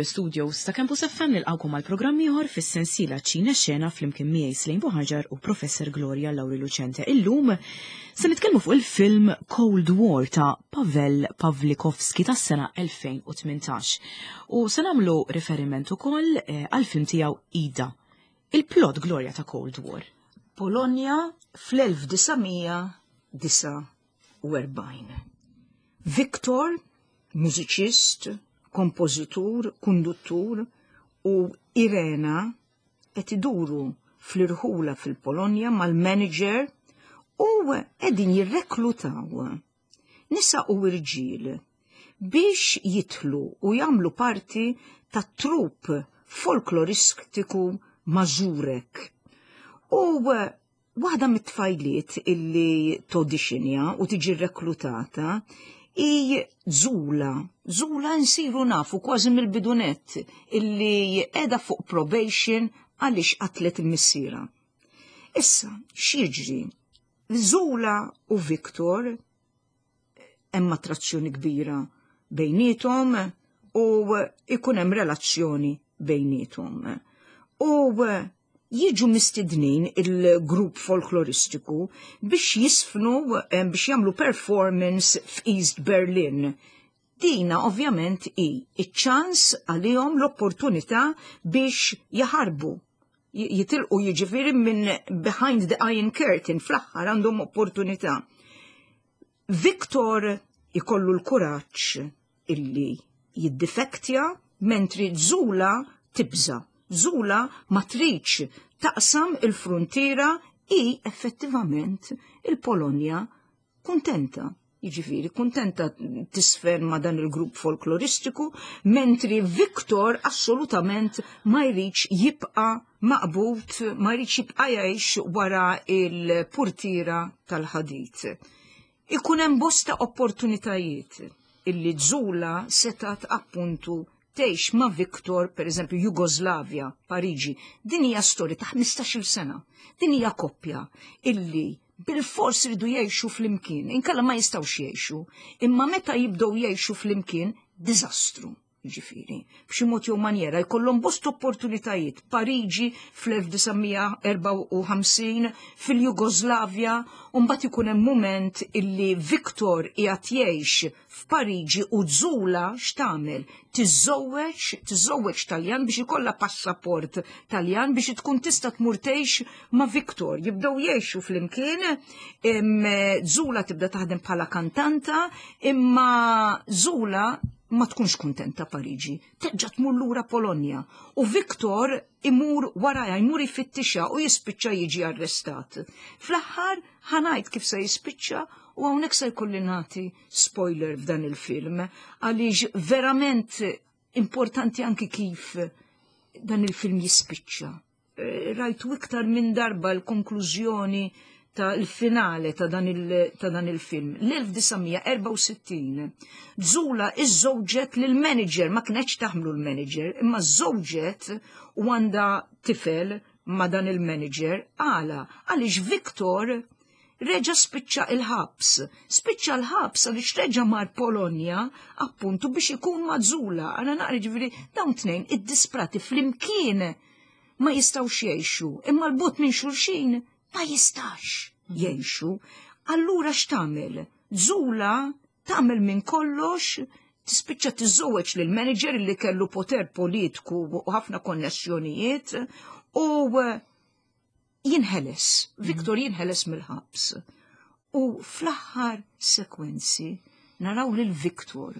mill-istudios ta' Campus FM nilqgħukom għal programm ieħor fis-sensiela Ċina Xena flimkien miegħi Slejn Buħaġar u Professor Gloria Lauri Lucente. Illum se nitkellmu fuq il-film Cold War ta' Pavel Pawlikowski tas-sena 2018. U se nagħmlu riferiment ukoll eh, għall-film tiegħu Ida. Il-plot Gloria ta' Cold War. Polonja fl-1949. Viktor, mużiċist, kompożitur, konduttur u Irena qed iduru fl-irħula fil-Polonja mal-manager u qegħdin jirreklutaw nisa u irġiel biex jidħlu u jagħmlu parti ta' trupp folkloristiku Mażurek. U Waħda mit-tfajliet illi todixinja u tiġi reklutata hi Zula. Zula nsiru nafu kważi mill-bidunett illi qiegħda fuq probation għaliex qatlet il-missiera. Issa, x'jiġri? Zula u Victor hemm attrazzjoni kbira bejnietom u ikun hemm relazzjoni bejnietom. U jiġu mistednin il-grupp folkloristiku biex jisfnu eh, biex jagħmlu performance f'East Berlin. Dina ovvjament hi iċ-ċans għalihom l-opportunità biex jaħarbu jitilqu jiġifieri minn behind the iron curtain fl-aħħar għandhom opportunità. Victor ikollu l-kuraġġ illi jiddifektja mentri Zula tibża. Zula ma tridx taqsam il-fruntiera i effettivament il-Polonja kuntenta. Jiġifieri kuntenta tisfer ma' dan il-grupp folkloristiku, mentri Viktor assolutament ma jridx jibqa' maqbud, ma jridx jibqa' jgħix wara il-purtiera tal-ħadid. Ikun hemm bosta opportunitajiet illi Zula setat appuntu tgħix ma' Viktor, per eżempju, Jugoslavja, Pariġi. Din hija storja ta' 15-il sena. Din hija koppja illi bil-fors ridu jgħixu flimkien, inkella ma jistgħux jgħixu. Imma meta jibdew jgħixu flimkien, diżastru. Ġifieri, b'xi mod jew manjera jkollhom bost opportunitajiet. Pariġi fl-1954, fil-Jugoslavja, u mbagħad ikun hemm mument illi Viktor qiegħed jgħix f'Pariġi u Zula x'tagħmel? Tiżżewweġ, tiżżewweġ Taljan biex ikollha passaport Taljan biex tkun tista' tmur tgħix ma' Viktor. Jibdew jgħixu flimkien, Zula tibda taħdem bħala kantanta, imma Zula ma tkunx kuntenta Pariġi, terġa' tmur lura Polonja u Viktor imur warajha, jmur jfittixha u jispiċċa jiġi arrestat. Fl-aħħar ħa ngħid kif se jispiċċa u hawnhekk se jkolli nagħti spoiler f'dan il-film għaliex verament importanti anki kif dan il-film jispiċċa. Eh, rajtu iktar minn darba l-konklużjoni ta' l-finale ta' dan il-film. L-1964, Zula iż-żewġet lil-manager, ma kienx taħmlu l-manager, imma żewġet u għandha tifel ma' dan il-manager, għala, għaliex Victor reġa spiċċa il-ħabs. Spiċċa l-ħabs għaliex reġa mar Polonja appuntu biex ikun ma' Zula. Għana naqra ġifieri dawn tnejn id-disprati flimkien ma jistgħux jgħixu, imma l-bot minn xulxin ma jistax jgħixu. Allura x'tagħmel? Zula tagħmel minn kollox tispiċċa tiżżewweġ lil manager li kellu poter politiku u ħafna konnessjonijiet u eh, jinħeles, Viktor jinħeles mill-ħabs. U fl-aħħar sekwenzi naraw lil Viktor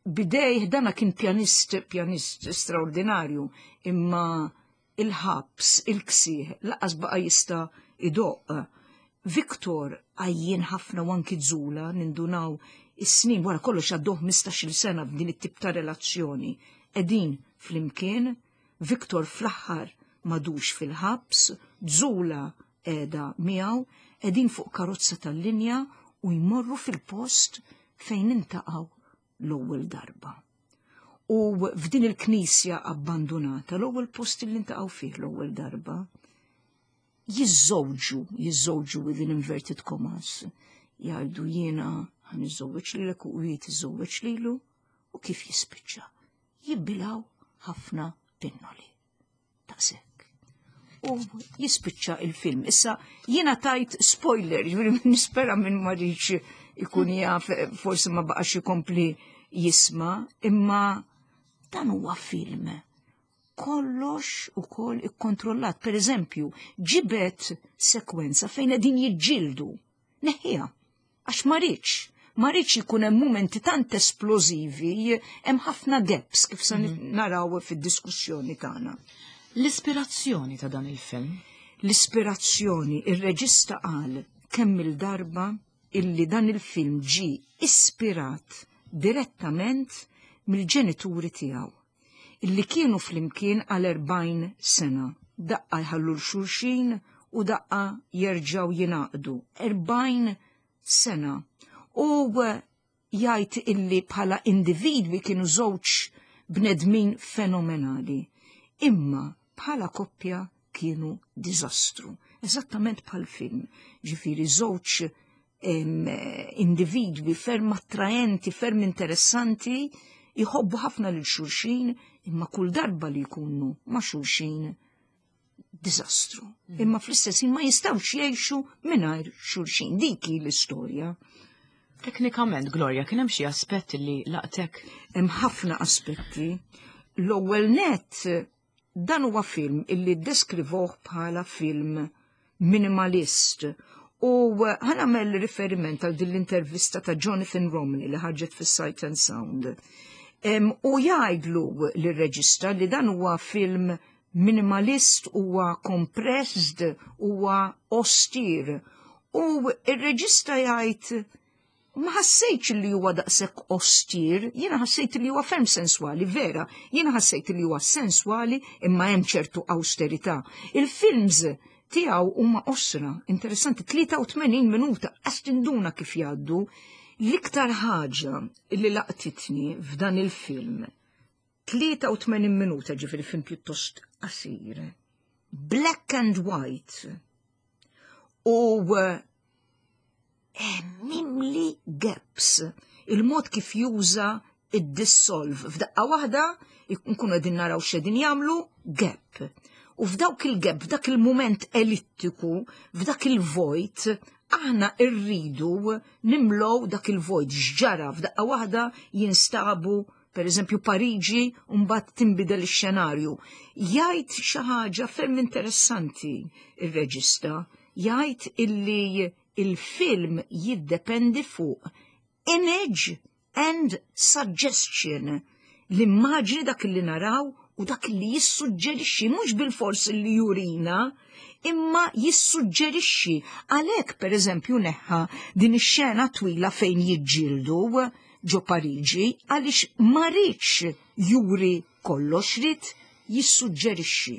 bidejh dana kien pjanist, pjanist straordinarju, imma il-ħabs, il-ksieħ, laqas baqa jista' idoqq. Viktor għajjien ħafna u anki Zula nindunaw is-snin wara kollox għaddew 15-il sena f'din it-tip ta' relazzjoni. Qegħdin flimkien, Viktor fl-aħħar m'għadux fil-ħabs, Zula qiegħda miegħu, qegħdin fuq karozza tal-linja u jmorru fil-post fejn intaqgħu l-ewwel darba. U f'din il-knisja abbandunata, l-ewwel post li ntaqgħu fih l-ewwel darba, jiżżewġu, jiżżewġu within inverted commas, jgħidu jiena ħa niżżewweġ lilek u hi tiżżewweġ lilu u kif jispiċċa? Jibbilgħu ħafna pinnoli. Daqshekk. U jispiċċa il-film. Issa jiena tajt spoiler, jiġifieri nispera minn ma rridx ikun jaf forsi ma baqax ikompli jisma', imma dan huwa film kollox ukoll ikkontrollat. Per eżempju, ġibet sekwenza fejn qegħdin jiġġieldu. Neħħiha. Għax ma rridx. Ma rridx ikun hemm mumenti tant esplożivi, hemm ħafna gaps kif se naraw fid-diskussjoni tagħna. L-ispirazzjoni ta' dan il-film? L-ispirazzjoni, ir-reġista qal kemm il-darba illi dan il-film ġie ispirat direttament mill-ġenituri tiegħu illi kienu flimkien għal 40 sena. Daqqa jħallu l-xulxin u daqqa jerġgħu jingħaqdu. 40 sena. U jgħid illi bħala individwi kienu żewġ bnedmin fenomenali. Imma bħala koppja kienu diżastru. Eżattament bħal film. Ġifieri żewġ individwi ferm attraenti, ferm interessanti, jħobbu ħafna lil xulxin, imma kull darba li jkunu ma' xulxin diżastru. Imma fl-istess ħin ma jistgħux jgħixu mingħajr xulxin. Dik hi l-istorja. Teknikament, Gloria, kien hemm xi aspett li laqtek? Hemm ħafna aspetti. L-ewwel nett dan huwa film illi ddeskrivoh bħala film minimalist. U ħa nagħmel riferiment għal din l-intervista ta' Jonathan Romney li ħarġet fis-Sight and Sound. U jgħidlu lir-reġista li dan huwa film minimalist, huwa compressed, huwa austere. U ir-reġista jgħid ma ħassejtx li huwa daqshekk austere, jiena ħassejt li huwa ferm senswali, vera, jiena ħassejt li huwa senswali imma hemm ċertu austerità. Il-films tiegħu huma qosra, interessanti, 83 minuta, qas tinduna kif jgħaddu. L-iktar ħaġa li laqtitni f'dan il-film, 83 minuta, ġifieri film pjuttost qasir, black and white, u mimli gaps, il-mod kif juża id-dissolve. F'daqqa waħda nkunu qegħdin naraw x'qegħdin jagħmlu gap. U f'dawk il-gap, f'dak il-mument ellittiku, f'dak il-vojt, aħna rridu nimlow dak il-vojt x'ġara. F'daqqa waħda jinstabu per eżempju Pariġi, u mbagħad tinbidel ix-xenarju. Jgħid xi ħaġa ferm interessanti ir-reġista, jgħid illi il-film jiddependi fuq image and suggestion. L-immaġni, dak li naraw u dak li jissuġġerixxi, mhux bil-fors li jurina, imma jissuġġerixxi. Għalhekk, per eżempju, neħħa din ix-xena twila fejn jiġġieldu ġo Pariġi, għaliex ma riedx juri kollox, ried jissuġġerixxi.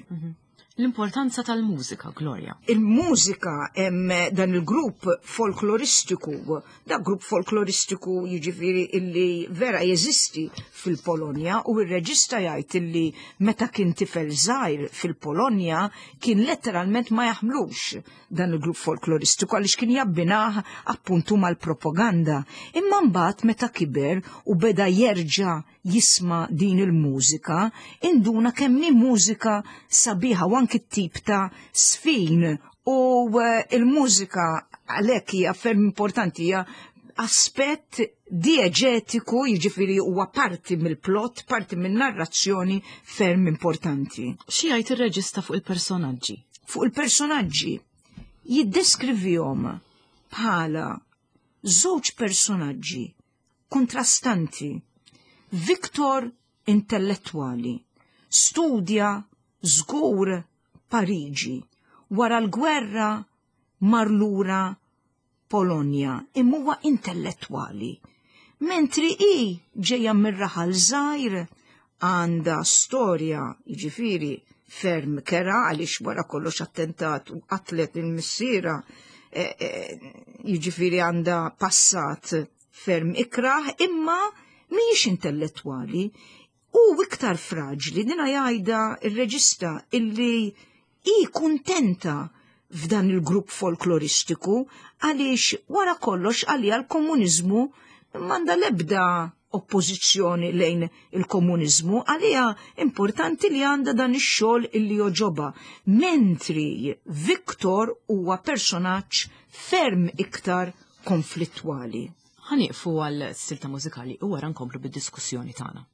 L-importanza tal-mużika, Gloria. Il-mużika, hemm dan il-grupp folkloristiku, da grupp folkloristiku jiġifieri illi vera jeżisti fil-Polonja, u r-reġista jgħid illi meta kien tifel żgħir fil-Polonja kien letteralment ma jaħmlux dan il-grupp folkloristiku għaliex kien jabbinah appuntu mal-propaganda. Imma mbagħad meta kiber u beda jerġa' jisma' din il-mużika, induna kemm hi mużika sabiħa u anki t-tip ta' sfin u il-mużika għalhekk hija ferm importanti, hija aspett dieġetiku, jiġifieri huwa parti mill-plot, parti min-narrazzjoni ferm importanti. Xi jgħid ir-reġista fuq il-personaġġi? Fuq il-personaġġi jiddeskrivihom bħala żewġ personaġġi kontrastanti. Viktor intellettwali, studja żgur Pariġi, wara l-gwerra mar lura Polonja, imma huwa intellettwali. Mentri hi ġejja mir-raħal żgħir, għandha storja, jiġifieri ferm kera, għaliex wara kollox attentat u qatlet il-missiera, jiġifieri għandha passat ferm ikrah, imma mhijiex intellettwali u iktar fraġli. Dina jgħidha ir-reġista illi hi kuntenta f'dan il-grupp folkloristiku għaliex wara kollox għalija l-komuniżmu m'għandha l-ebda oppożizzjoni lejn il-komuniżmu, għaliha importanti li għandha dan ix-xogħol illi jogħġobha. Mentri Viktor huwa personaġġ ferm iktar konflittwali. Ħa nieqfu għal silta mużikali u wara nkomplu bid-diskussjoni tagħna.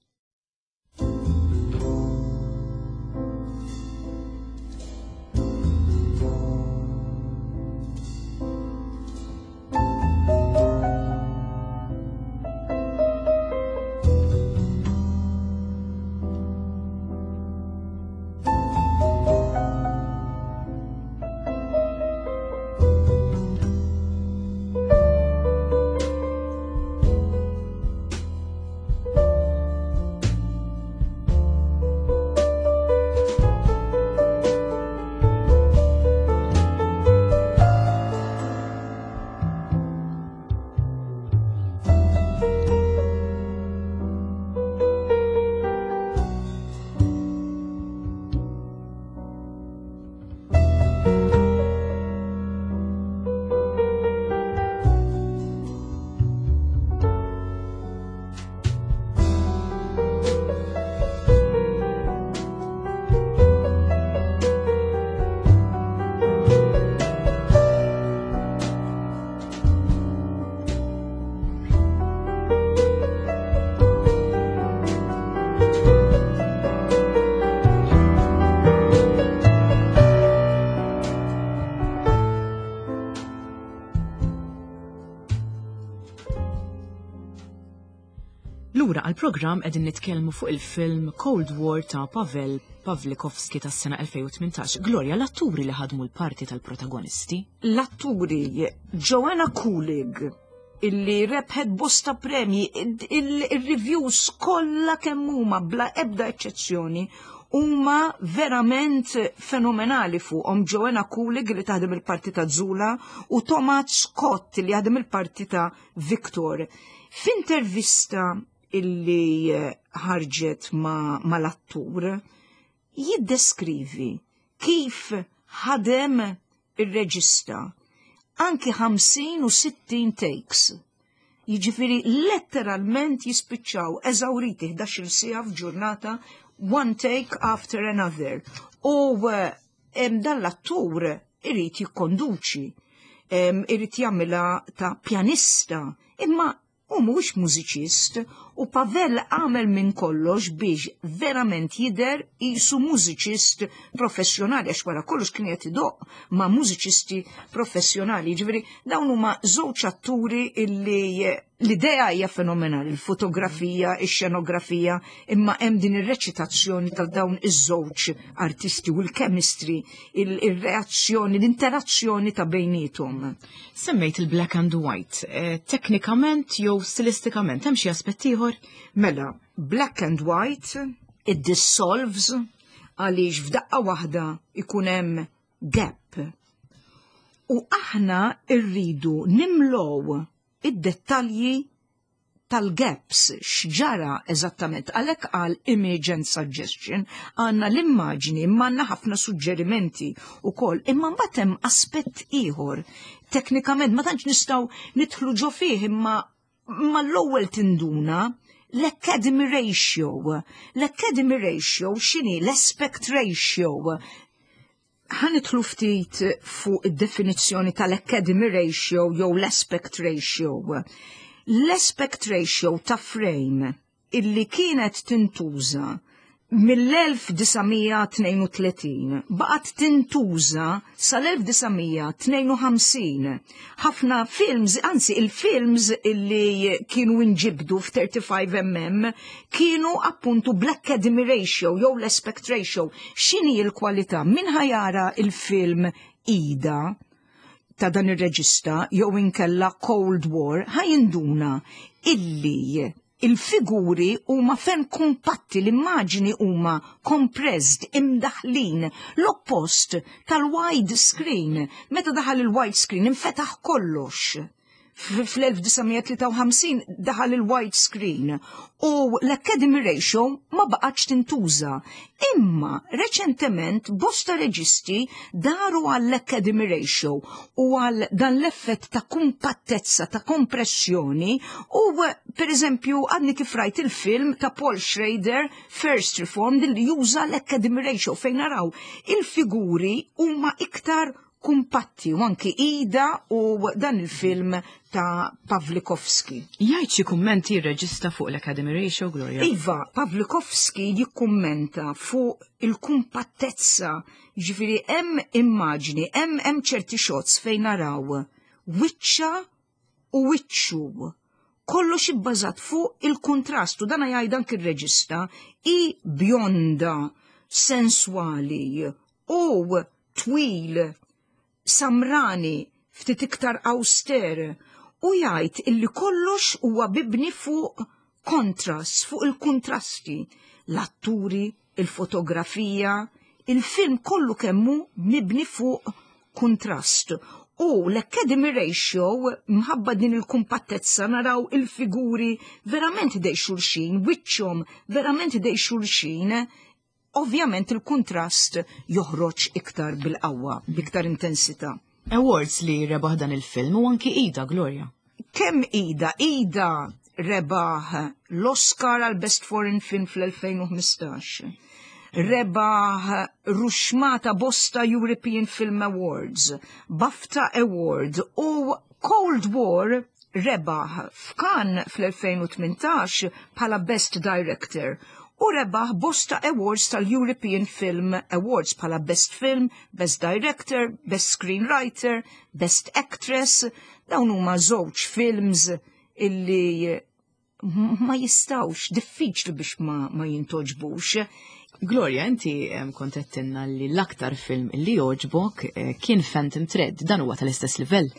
Lura għal-programm qegħdin nitkellmu fuq il-film Cold War ta' Pavel Pawlikowski tas-sena 2018. Gloria, l-atturi li ħadmu l-parti tal-protagonisti? L-atturi Joanna Kulig, illi rebħet bosta premji, il-reviews kollha kemm huma bla ebda eċċezzjoni huma verament fenomenali fuqhom. Joanna Kulig li taħdem il-parti ta' Zula u Thomas Scott li jaħdem il-parti ta' Victor. F'intervista illi ħarġet ma' mal-attur, jiddeskrivi kif ħadem ir-reġista anki 50 u 60 takes. Jiġifieri letteralment jispiċċaw eżawriti 11-il siegħa f'ġurnata, one take after another. U dan l-attur irid jikkonduċi, irid jagħmilha ta' pjanista, imma hu mhuwiex mużiċist u Pavel għamel minn kollox biex verament jidher qisu mużiċist professjonali, għax wara kollox kien qed idoqq ma' mużiċisti professjonali. Jiġifieri dawn huma żewġ atturi illi l-idea hija fenomenali, il-fotografija, ix-xenografija, imma hemm din ir-reċitazzjoni ta' dawn iż-żewġ artisti u l-chemistry, il-reazzjoni, l-interazzjoni ta' bejniethom. Semmejt il-black and white. Teknikament jew stilistikament, hemm xi aspett ieħor? Mela, black and white, it dissolves għaliex f'daqqa waħda ikun hemm gap. U aħna rridu nimlow id-dettalji tal-gaps, x'ġara eżattament. Għalhekk għal image and suggestion għandna l-immaġni imma għandna ħafna suġġerimenti wkoll. Imma mbagħad hemm aspett ieħor. Teknikament ma tantx nistgħu nidħlu ġo fih, imma mal-ewwel tinduna l-Academy Ratio. L-Academy Ratio x'inhi? L-aspect ratio. Ħa nidħlu ftit fuq id-definizzjoni tal-Academy Ratio jew l-aspect ratio. L-aspect ratio ta' frame illi kienet tintuża mill-1932 baqgħet tintuża sal-1952. Ħafna films, anzi il-films illi kienu inġibdu f'35 mm kienu appuntu bl-Academy Ratio jew l-aspect ratio. X'inhi l-kwalità? Min ħa jara il-film Ida ta' dan ir-reġista jew inkella Cold War ħa jinduna illi il-figuri huma ferm kumpatti, l-immaġni huma compressed, imdaħlin, l-oppost tal-wide screen. Meta daħal il-wide screen infetaħ kollox. Fl-1953 daħal il-wide screen u l-Academy Ratio ma baqgħetx tintuża. Imma reċentement bosta reġisti daru għall-Academy Ratio u għal dan l-effett ta' kumpattezza, ta' kompressjoni u per eżempju għadni kif rajt il-film ta' Paul Schrader First Reformed li juża l-Academy Ratio fejn naraw il-figuri huma iktar kumpatti u anki Ida u dan il-film ta' Pawlikowski. Jgħid xi kummenti r-reġista fuq l-Academy Ratio, Gloria? Iva, Pawlikowski jikkummenta fuq il-kumpattezza, ġifieri hemm immaġni, hemm hemm ċerti shots fejn naraw wiċċa u wiċċu. Kollox ibbażat fuq il-kuntrast u dana jgħid anki r-reġista i bjonda, senswali u twil, samrani, ftit iktar awster u jgħid illi kollox huwa bibni fuq kontrast, fuq il-kuntrasti, l-atturi, il-fotografija, il-film kollu kemmu mibni fuq kuntrast. U l-Academy Ratio, mħabba din il-kumpattezza, naraw il-figuri verament dej xulxin, wiċċhom verament dej xulxin, ovvjament il-kuntrast joħroġ iktar bil-qawwa, b'iktar intensità. Awards li rebaħ dan il-film u anki Ida, Gloria. Kemm Ida? Ida rebaħ l-Oscar għal Best Foreign Film fl-2015. Rebaħ ruxmata bosta European Film Awards, BAFTA Award u Cold War rebaħ f'Cannes fl-2018 bħala Best Director u rebaħ bosta awards tal-European Film Awards bħala Best Film, Best Director, Best Screenwriter, Best Actress. Dawn huma żewġ films illi ma jistawx, diffiċli biex ma, ma jintoġbux. Gloria, inti kont għedtilna li l-aktar film li joġbok eh, kien Phantom Thread, dan huwa tal-istess livell.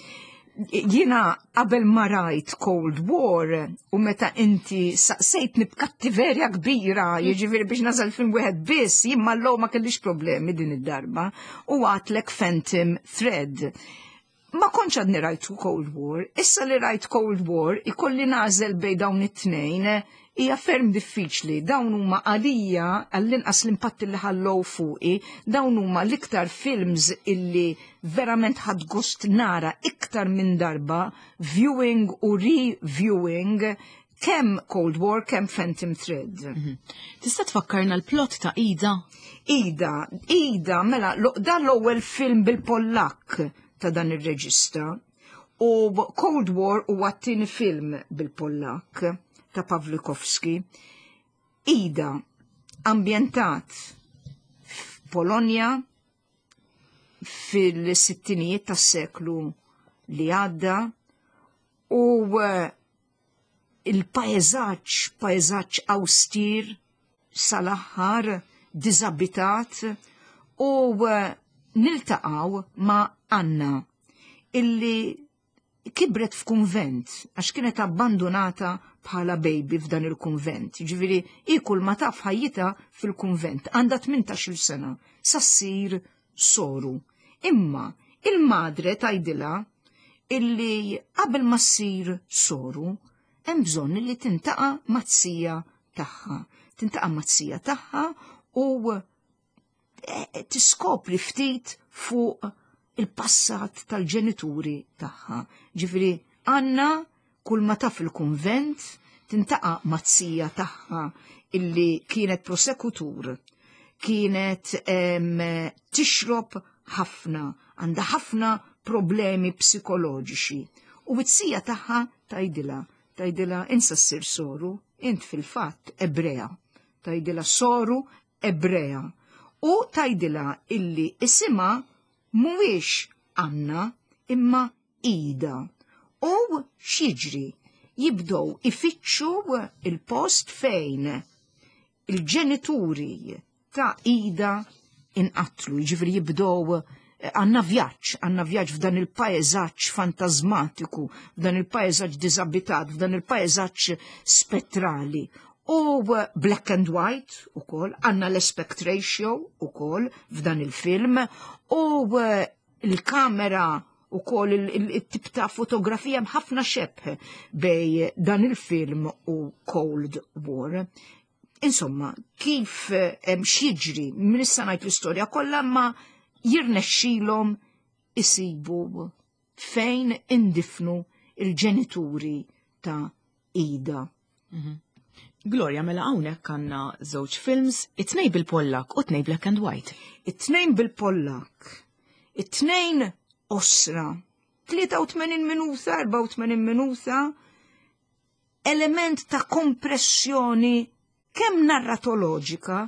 Jiena qabel ma rajt Cold War u meta inti saqsejtni b'kattiverja kbira, jiġifieri biex nażel film wieħed biss, jien ma ma kellix problemi din id-darba u għatlek Phantom Thread. Ma kontx għadni rajt Cold War, issa li rajt Cold War ikolli nażel bej dawn it-tnejn hija ferm diffiċli. Dawn huma għalija għall-inqas l-impatt li ħallow fuqi, dawn huma l-iktar films illi verament ħadt gost nara iktar minn darba, viewing u re-viewing, kemm Cold War, kemm Phantom Thread. Mhm. Tista' tfakkarna l-plot ta' Ida? Ida, Ida, mela, dan l-ewwel film bil-Pollak ta' dan ir-reġista. U Cold War huwa t-tieni film bil-Pollak ta' Pawlikowski. Ida, ambjentat f'Polonja fil-sittinijiet tas-seklu li għadda u eh, il-paeżaġġ, paeżaġġ austir sal-aħħar, diżabitat u eh, niltaqgħu ma' Anna illi kibret f'kunvent għax kienet abbandunata bħala baby f'dan il-kunvent. Ġifieri hi kull ma taf ħajjitha fil-kunvent. Għandha 18-il sena sa ssir soru. Imma il-madre tgħidilha illi qabel ma ssir soru hemm bżonn li tintaqa' mat-sija tagħha. Tintaqa' mat-sija tagħha u eh, tiskopri ftit fuq il-passat tal-ġenituri tagħha. Ġifieri Anna kull ma taf il-kunvent tintaqa' mat-sija tagħha illi kienet prosekutur, kienet tixrob ħafna, għandha ħafna problemi psikoloġiċi. U t-sija tagħha tgħidilha, tgħidilha insa ssir soru, int fil-fatt Ebrea. Tgħidilha soru Ebrea. U tgħidilha illi isimha mhuwiex Anna imma Ida. U x'jiġri? Jibdew ifittxu il-post fejn il-ġenituri ta' Ida inqatlu, jiġifieri jibdew eh, għandna vjaġġ, għandna vjaġġ f'dan il-paeżaġġ fantasmatiku, f'dan il-paeżaġġ diżabitat, f'dan il-paeżaġġ spettrali. U eh, black and white u kol, għanna l-aspect ratio u kol f'dan il-film, u eh, il-kamera Ukoll il-tip ta' fotografija hemm ħafna xebh bej dan il-film u Cold War. Insomma, kif hemm x'jiġri, minn issa ngħid l-istorja kollha ma jirnexxilhom isibu fejn indifnu il-ġenituri ta' Ida. Gloria, mela hawnhekk għandna żewġ films, it-tnejn bil-Pollak u t-tnejn black and white. It-tnejn bil-Pollak, it-tnejn osra, 83 minuta, 84 minuta, element ta' kompressjoni kemm narratoloġika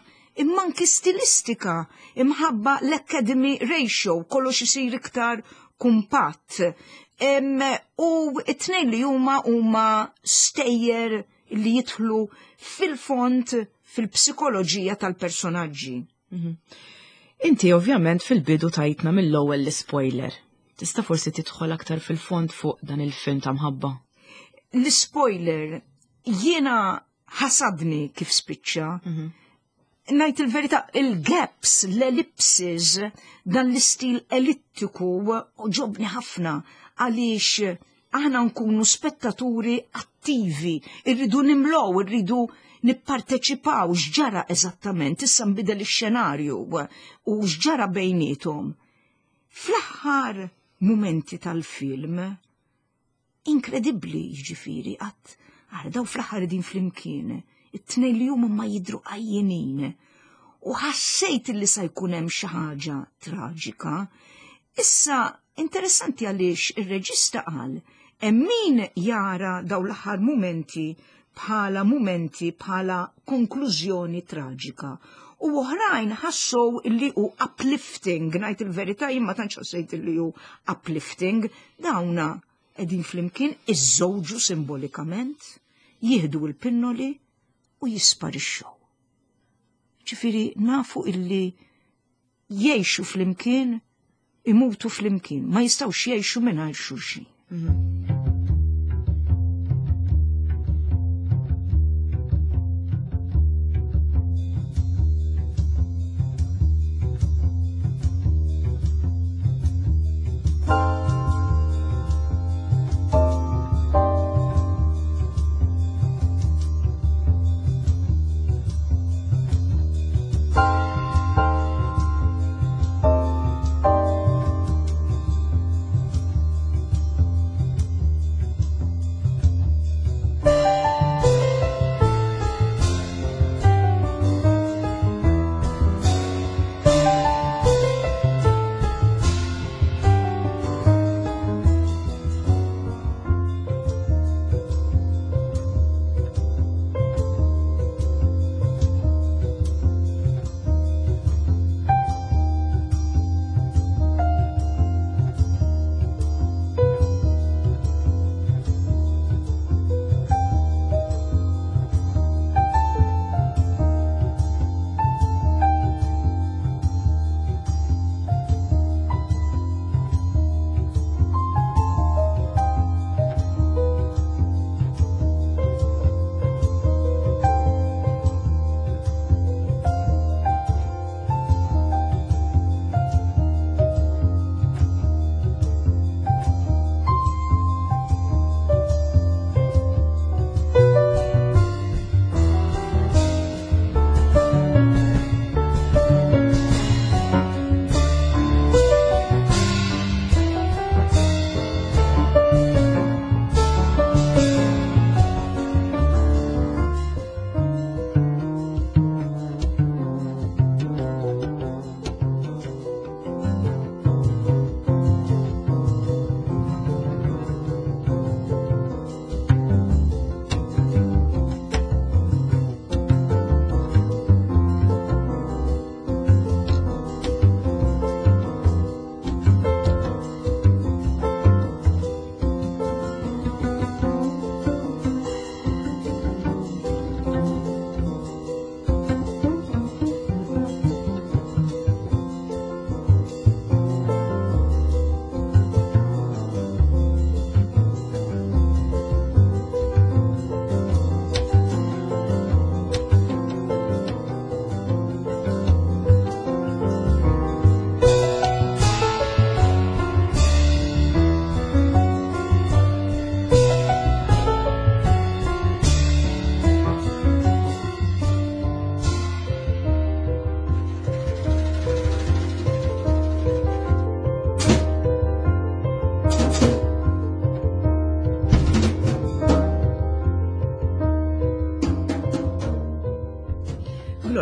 imma anki stilistika imħabba l-Academy Ratio, kollox isir iktar kumpatt. U it-tnejn li huma huma stejjer li jidħlu fil-fond fil-psikoloġija tal-personaġġi. Inti ovvjament fil-bidu tajtna mill-ewwel l-spoiler. Tista' forsi tidħol aktar fil-fond fuq dan il-film ta' mħabba? L-spoiler jiena ħasadni kif spiċċa. Ngħid il-verità, il-gaps, l-ellipses, dan l-istil ellittiku ġobni ħafna għaliex aħna nkunu spettaturi attivi, irridu nimlow, irridu nipparteċipaw x'ġara eżattament, issa nbidel ix-xenarju u x'ġara bejniethom. Fl-aħħar mumenti tal-film, inkredibbli jiġifieri qatt għara daw fl-aħħar din flimkien, it-tnejn li huma ma jidru għajjenin. U ħassejt li sa jkun hemm xi ħaġa traġika. Issa interessanti għaliex ir-reġista qal hemm min jara daw l-aħħar mumenti bħala mumenti bħala konklużjoni traġika. U oħrajn ħassow li hu uplifting, ngħid il-verità jien ma tantx ħassejt li hu uplifting, dawna qegħdin flimkien iżżewġu simbolikament, jieħdu l-pinnoli u jisparixxu. Ġifieri nafu illi jgħixu flimkien, imutu flimkien, ma jistgħux jgħixu mingħajr xulxin.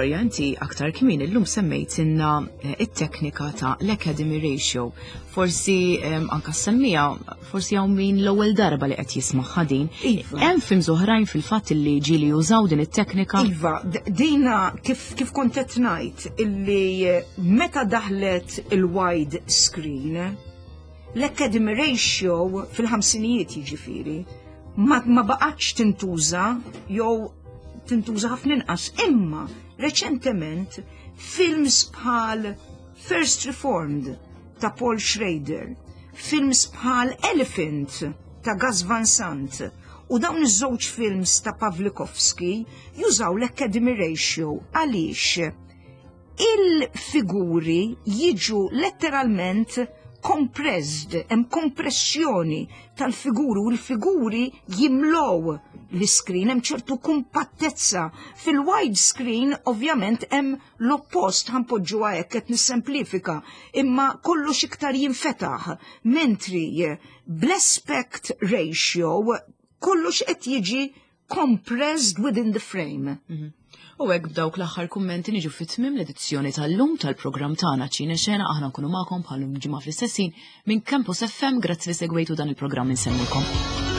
Gloria, inti aktar kmin illum semmejtinna eh, it-teknika ta' l-Academy Ratio. Forsi anka semmija, forsi hawn min l-ewwel darba li qed jisma' din. Iva. Hemm films oħrajn fil-fatt li ġieli jużaw din it-teknika. Iva, dina kif, kif kont qed ngħid illi eh, meta daħlet il-wide screen, l-Academy Ratio fil-ħamsinijiet jiġifieri, ma, ma baqgħetx tintuża jew tintuża ħafna inqas, imma reċentement films bħal First Reformed ta' Paul Schrader, films bħal Elephant ta' Gus Van Sant u dawn iż-żewġ films ta' Pawlikowski jużaw l-Academy Ratio għaliex il-figuri jiġu letteralment compressed, hemm kompressjoni tal-figuri u l-figuri jimlow l-screen, hemm ċertu kumpattezza. Fil-wide screen ovvjament hemm l-oppost ħa npoġġuha hekk qed nissemplifika, imma kollox iktar jinfetaħ, mentri bl-aspect ratio kollox qed jiġi compressed within the frame. U hekk b'dawk l-aħħar kummenti niġu fit-tmiem l-edizzjoni tal-lum tal-programm tagħna Ċine Xena aħna nkunu magħkom bħal ġimgħa fl-istess ħin minn Campus FM grazzi li segwejtu dan il-programm insellmilkom.